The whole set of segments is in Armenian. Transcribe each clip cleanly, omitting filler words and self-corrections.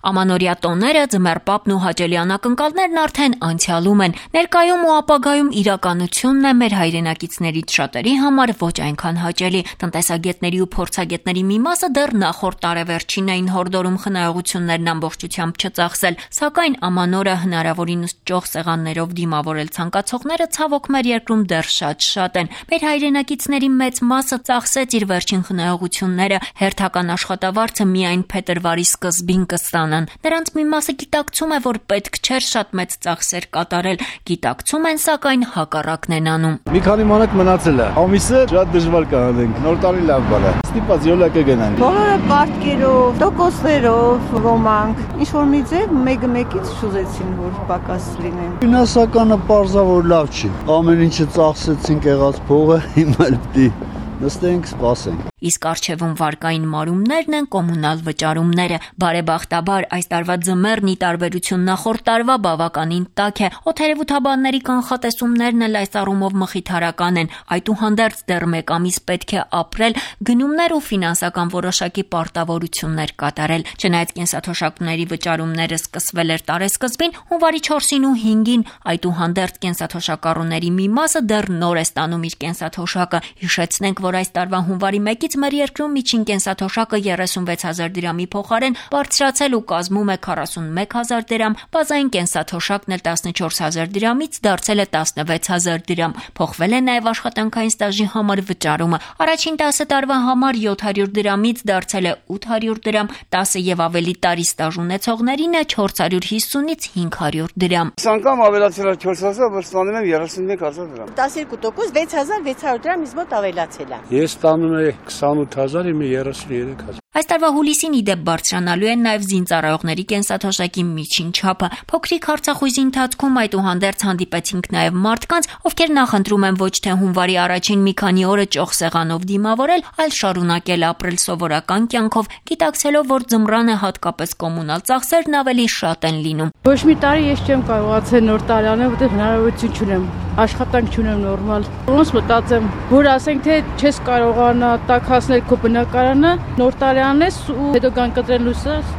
Ամանորյա տոները, ձմեռպապն ու հաճելի անակնկալներն արդեն անցյալում են, ներկայում ու ապագայում իրականությունն է մեր հայրենակիցներից շատերի համար ոչ այնքան հաճելի։ Տնտեսագետների ու փորձագետների մի մասը դեռ նախորդ տարեվերջին էին հորդորում խնայողություններն ամբողջությամբ չծախսել, սակայն ամանորը հնարավորինս ճոխ սեղաններով դիմավորել ցանկացողները ցավոք մեր երկրում դեռ շատ են։ Մեր հայրենակիցների մեծ մասը ծախսեց իր վերջին խնայողությունները, հերթական աշխատավարձը միայն փետրվարի սկզբին կստանան։ Նրանց մի մասը գիտակցում է, որ պետք չէր շատ մեծ ծախսեր կատարել, գիտակցում են, սակայն հակառակն են անում։ Մի քանի մանակ մնացել է։ Ամիսը շատ դժվար կանենք։ Նոր տարի լավ բան է։ Ստիպած յոլա կգնանք։ Բոլորը պարտքերով, տոկոսներով, ոմանք, ինչ որ մի ձև մեկը մեկից շուզեցին, որ պակաս լինեն։ Ֆինանսականը պարզավոր լավ չի։ Ամեն ինչը ծախսեցինք, եղած փողը, հիմա էլ պիտի նստենք, սպասենք։ Իսկ առջևում վարկային մարումներն են կոմունալ վճարումները։ Բարեբախտաբար այս տարվա ձմեռն ի տարբերություն նախորդ տարվա բավականին տաք է։ Օդերևութաբանների կանխատեսումներն էլ այս առումով մխիթարական են։ Այդուհանդերձ դեռ մեկ ամիս պետք է ապրել, գնումներ ու ֆինանսական որոշակի պարտավորություններ կատարել։ Չնայած կենսաթոշակների վճարումները սկսվել էր տարեսկզբին, հունվարի 4-ին ու 5-ին, այդուհանդերձ կենսաթոշակառուների մի մասը դեռ նոր է ստանում իր կենսաթոշակը։ Հիշեցնենք, որ այս տարվա հունվարի 1-ից մեր երկրում միջին կենսաթոշակը 36,000 դրամի փոխարեն բարձրացել ու կազմում է 41,000 դրամ, բազային կենսաթոշակն էլ 14,000 դրամից դարձել է 16,000 դրամ։ Փոխվել է նաև աշխատանքային ստաժի համար վճարումը։ Առաջին 10 տարվա համար 700 դրամից դարձել է 800 դրամ, 10 եւ ավելի տարի ստաժ ունեցողներին է 450-ից 500 դրամ։ Այս անգամ ավելացել է 4,000, որ ստանում եմ 31,000 դրամ։ 12% 6,600 դրամ ինձ մոտ ավելացել է։ Ես ստանում եմ 28,000, իմը 33,000։ Այս տարվա հուլիսին ի դեպ բարձրանալու են նաև զինծառայողների կենսաթոշակի միջին չափը։ Փոքրիկ հարցախույզի ընթացքում այդուհանդերձ հանդիպեցինք նաև մարդկանց, ովքեր նախընտրում են ոչ թե հունվարի առաջին մի քանի օրը ճոխ սեղանով դիմավորել, այլ շարունակել ապրել սովորական կյանքով, գիտակցելով, որ ձմռանը հատկապես կոմունալ ծախսերն ավելի շատ են լինում։ Ոչ մի տարի ես չեմ կարողացել նոր տարի անել, որտեղ հնարավորություն չունեմ, աշխատանք չունեմ նորմալ։ Ոնց մտածեմ, որ ասենք թե չես կարողանա տաքացնել քո բնակարանը, նոր տարի անես ու հետո կան կտրել լույսս։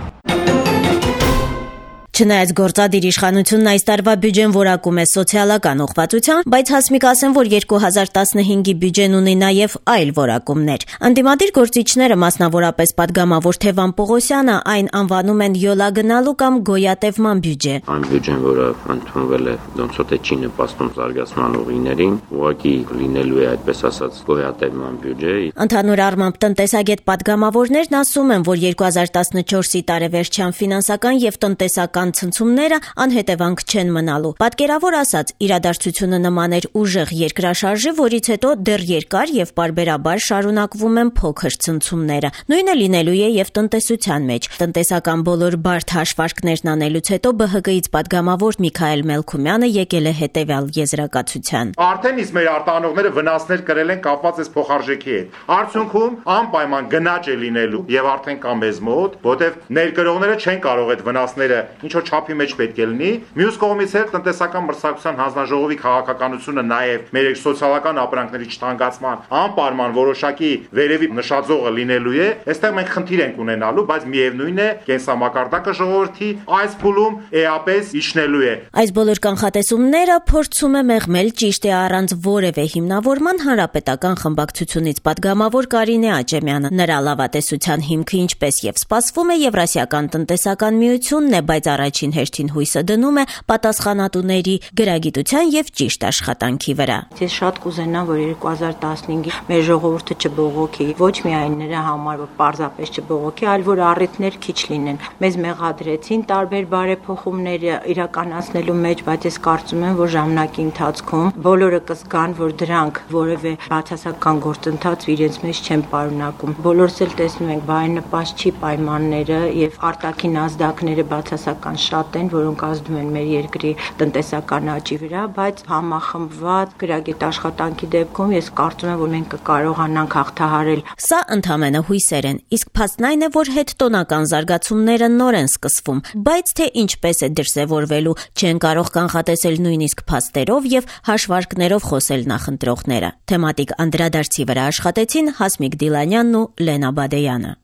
Չնայած գործադիր իշխանությունն այս տարվա բյուջեն որակում է սոցիալական ուղղվածության, բայց հասմիկ ասեմ, որ 2015-ի բյուջեն ունի նաև այլ որակումներ։ Անդիմադիր գործիչները, մասնավորապես падգամավոր Թևան Պողոսյանը, այն անվանում են յոլա գնալու կամ գոյատևման բյուջե։ Այն բյուջեն, որը ընդունվել է, ոնց որ չի նպաստում զարգացման ուղիներին, ուղղակի լինելու է այդպես ասած գոյատևման բյուջե։ Ընդհանուր առմամբ տնտեսագետ падգամավորներն ասում են, որ 2014-ի տարեվերջյան ֆինանսական եւ տնտեսական ցնցումները անհետևանք չեն մնալու։ Պատկերավոր ասած, իրադարձությունը նման էր ուժեղ երկրաշարժի, որից հետո դեռ երկար եւ պարբերաբար շարունակվում են փոքր ցնցումները։ Նույնը լինելու է եւ տնտեսության մեջ։ Տնտեսական բոլոր բարդ հաշվարկներն անելուց հետո ԲՀԿ-ից падգամավոր Միքայել Մելքումյանը եկել է հետեւյալ եզրակացության։ Արդեն իսկ մեր արտահանողները վնասներ կրել են կապված այս փոխարժեքի հետ։ Արդյունքում անպայման գնաճ է լինելու եւ արդեն կա մեզ մոտ, որտեղ ներկրողները չեն կարող այդ վնասները ինչ որ չափի մեջ պետք է լինի։ Մյուս կողմից էլ տնտեսական մրցակցության հանձնաժողովի քաղաքականությունը նաև մեր սոցիալական ապրանքների չթանկացման անպայման որոշակի վերևի նշաձողը լինելու է։ Այստեղ մենք խնդիր ենք ունենալու, բայց միևնույն է, կենսամակարդակը ժողովրդի այս փուլում էապես իջնելու է։ Այս բոլոր կանխատեսումները փորձում է մեղմել ճիշտ է առանց որևէ հիմնավորման հանրապետական խմբակցությունից падգամավոր Կարինե Աճեմյանը։ Նրա լավատեսության հիմքը, ինչպես եւ սպասվում է, Եվրասիական տնտեսական միությունն է, բայց առաջին հերթին հույսը դնում է պատասխանատուների գրագիտության եւ ճիշտ աշխատանքի վրա։ Ես շատ կուզենամ, որ 2015-ին մեր ժողովուրդը չբողոքի, ոչ միայն նրա համար, որ պարզապես չբողոքի, այլ որ առիթներ քիչ լինեն։ Մեզ մեղադրեցին տարբեր բարեփոխումներ իրականացնելու մեջ, բայց ես կարծում եմ, որ ժամանակի ընթացքում բոլորը կզգան, որ դրանք որևէ բացասական գործընթաց իրենց մեջ չեն պարունակում։ Բոլորս էլ տեսնում ենք, բարենպաստ չի պայմանները եւ արտաքին ազդակները բացասական շատ են, որոնք ազդում են մեր երկրի տնտեսական աճի վրա, բայց համախմբված գրագետ աշխատանքի դեպքում ես կարծում եմ, որ մենք կկարողանանք հաղթահարել։ Սա ընդհանրապես հույսեր են, իսկ փաստն այն է, որ հետտոնական զարգացումները նոր են սկսվում, բայց թե ինչպես է դրսևորվելու, չեն կարող կանխատեսել նույնիսկ փաստերով եւ հաշվարկներով խոսել նախընտրողները։ Թեմատիկ անդրադարձի վրա աշխատեցին Հասմիկ Դիլանյանն ու Լենա Բադեյանը։